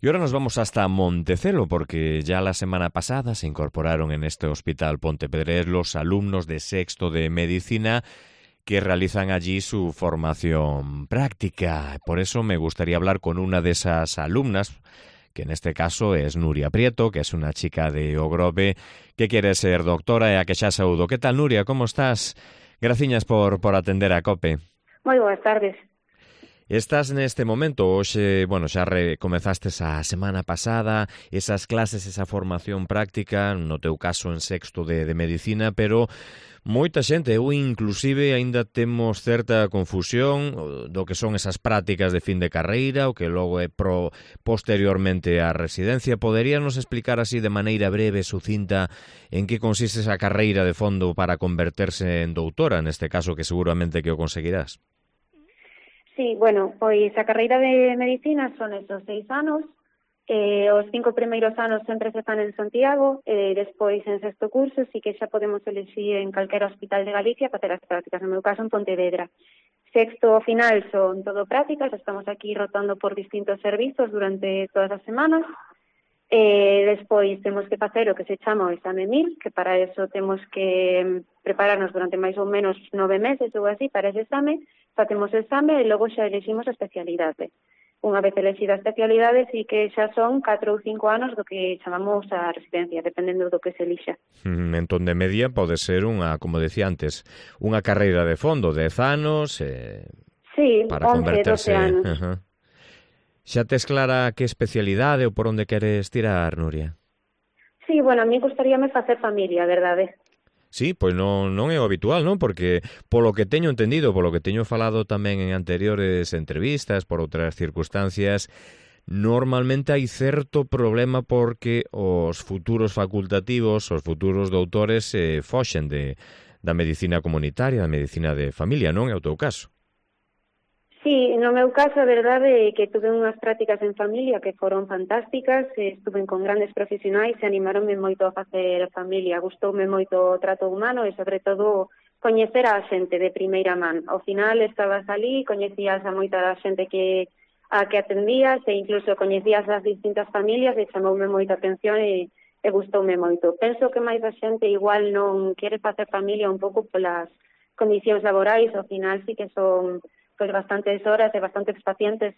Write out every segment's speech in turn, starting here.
Y ahora nos vamos hasta Montecelo, porque ya la semana pasada se incorporaron en este hospital Pontevedrés los alumnos de sexto de medicina que realizan allí su formación práctica. Por eso me gustaría hablar con una de esas alumnas, que en este caso es Nuria Prieto, que es una chica de Ogrove, que quiere ser doctora e a que xa saúdo. Que tal, Nuria? Como estás? Graciñas por atender a COPE. Moi boas tardes. Estás neste momento, hoxe, xa comezastes a semana pasada, esas clases, esa formación práctica, no teu caso en sexto de medicina, pero moita xente, eu inclusive aínda temos certa confusión do que son esas prácticas de fin de carreira, o que logo é posteriormente a residencia. Poderíanos explicar así de maneira breve, sucinta, en que consiste esa carreira de fondo para converterse en doutora, neste caso que seguramente que o conseguirás? Sí, bueno, pois a carreira de medicina son esos 6 anos, os 5 primeiros anos sempre se fan en Santiago, despois en sexto curso sí que xa podemos elegir en calquera hospital de Galicia facer as prácticas, no meu caso en Pontevedra. Sexto ao final son todo prácticas, estamos aquí rotando por distintos servizos durante todas as semanas, despois temos que facer o que se chama o exame MIR, que para eso temos que prepararnos durante máis ou menos 9 meses ou así para ese exame, facemos o exame e logo xa elegimos a especialidade. Unha vez elexida a especialidade, sí que xa son 4 ou 5 anos do que chamamos a residencia, dependendo do que se elixa. Entón, de media pode ser unha, como decía antes, unha carreira de fondo, 10 anos, sí, para 11, 12 converterse... anos. Xa tes clara que especialidade ou por onde queres tirar, Nuria? Sí, bueno, a mí gustaríame facer familia, verdade? Sí, pois non é o habitual, non? Porque polo que teño entendido, polo que teño falado tamén en anteriores entrevistas, por outras circunstancias, normalmente hai certo problema porque os futuros facultativos, os futuros doutores foxen da medicina comunitaria, da medicina de familia, non é o teu caso? Sí, no meu caso, a verdade é que tuve unhas prácticas en familia que foron fantásticas, estuve con grandes profesionais e animaronme moito a facer familia, gustoume moito o trato humano e, sobre todo, coñecer a xente de primeira man. Ao final, estabas ali, coñecías a moita da xente a que atendías e incluso coñecías as distintas familias e chamoume moita atención e gustoume moito. Penso que máis a xente igual non quere facer familia un pouco polas condicións laborais, ao final sí que son bastantes horas e bastantes pacientes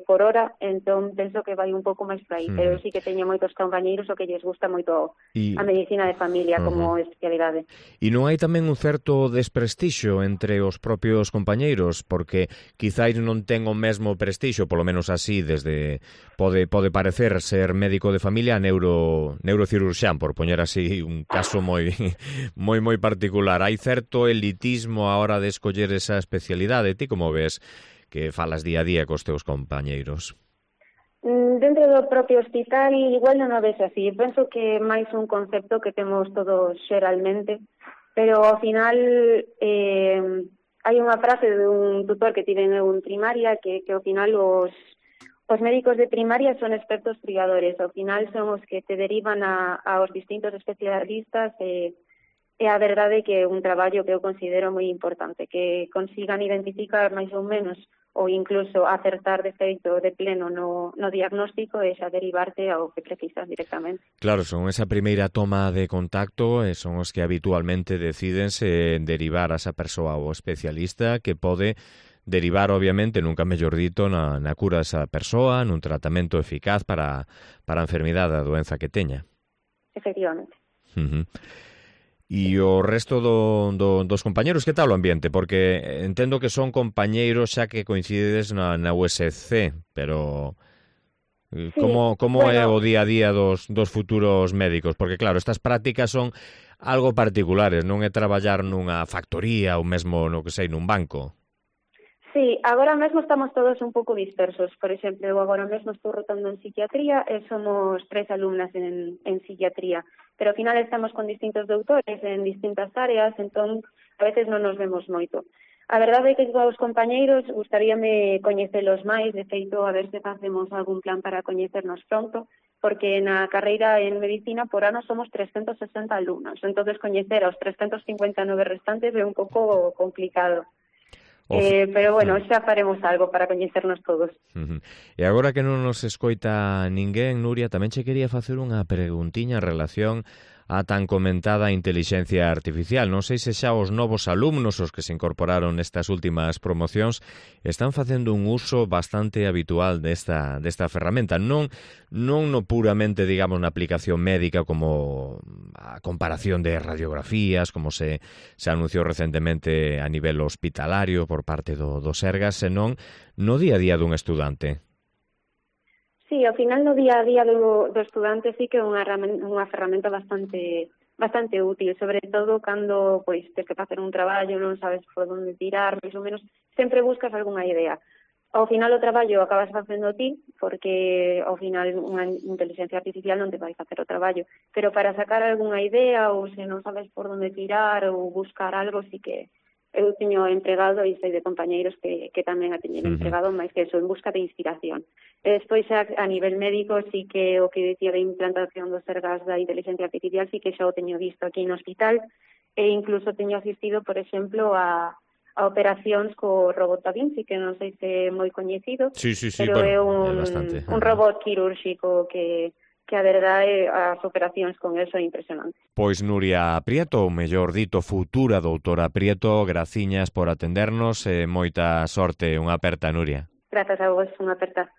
por hora, entón penso que vai un pouco máis por aí, pero sí que teño moitos compañeiros o que lles gusta moito a medicina de familia como especialidade. E non hai tamén un certo desprestixio entre os propios compañeiros, porque quizáis non ten o mesmo prestixio, polo menos así, desde pode parecer ser médico de familia a neurocirurxán, por poñer así un caso moi particular. Hai certo elitismo a hora de escoller esa especialidade. Ti como ves que falas día a día cos teus compañeiros? Dentro do propio hospital igual non o ves así. Penso que é máis un concepto que temos todos xeralmente, pero ao final hai unha frase de un tutor que tiven en primaria que ao final os médicos de primaria son expertos triadores. Ao final son os que te derivan aos distintos especialistas e a verdade que é un traballo que eu considero moi importante, que consigan identificar máis ou menos ou incluso acertar de feito de pleno no diagnóstico e xa derivarte ao que precisas directamente. Claro, son esa primeira toma de contacto e son os que habitualmente decídense derivar a esa persoa ao especialista que pode derivar, obviamente, nunca mellor dito, na cura desa persoa, nun tratamento eficaz para a enfermidade, a doenza que teña. Efectivamente. E o resto dos compañeros, que tal o ambiente? Porque entendo que son compañeiros xa que coincidedes na USC, pero sí, como é o día a día dos futuros médicos? Porque claro, estas prácticas son algo particulares, non é traballar nunha factoría ou mesmo, no que sei, nun banco. Sí, agora mesmo estamos todos un pouco dispersos. Por exemplo, eu agora mesmo estou rotando en psiquiatría e somos 3 alumnas en psiquiatría, pero ao final estamos con distintos doutores en distintas áreas, entón a veces non nos vemos moito. A verdade é que os compañeiros gustaríame coñecelos máis, de feito a ver se facemos algún plan para coñecernos pronto, porque na carreira en medicina por ano somos 360 alumnos, entonces coñecer aos 359 restantes é un pouco complicado. Pero bueno, xa faremos algo para coñecernos todos. E agora que non nos escoita ninguén, Nuria, tamén che quería facer unha preguntiña en relación a tan comentada intelixencia artificial. Non sei se xa os novos alumnos, os que se incorporaron nestas últimas promocións, están facendo un uso bastante habitual desta ferramenta. Non no puramente, digamos, na aplicación médica como a comparación de radiografías, como se anunciou recentemente a nivel hospitalario por parte do Sergas, senón no día a día dun estudante. Sí, ao final no día a día do estudante sí que é unha ferramenta bastante útil, sobre todo cando pois tes que facer un traballo, non sabes por onde tirar, máis ou menos, sempre buscas algunha idea. Ao final o traballo acabas facendo ti, porque ao final unha inteligencia artificial non te vai facer o traballo, pero para sacar algunha idea ou se non sabes por onde tirar ou buscar algo, sí que eu teño empregado e sei de compañeiros que tamén a teñen empregado, máis que eso, en busca de inspiración. E despois, a nivel médico, sí que o que dicía de implantación dos Sergas da inteligencia artificial, sí que xa o teño visto aquí no hospital, e incluso teño asistido, por exemplo, a operacións co robot Da Vinci, que non sei se é moi coñecido, pero bueno, é bastante. un robot quirúrxico que a verdade, as operacións con eso é impresionante. Pois Nuria Prieto, ou mellor dito, futura doutora Prieto, graciñas por atendernos e moita sorte. Unha aperta, Nuria. Grazas a vos, unha aperta.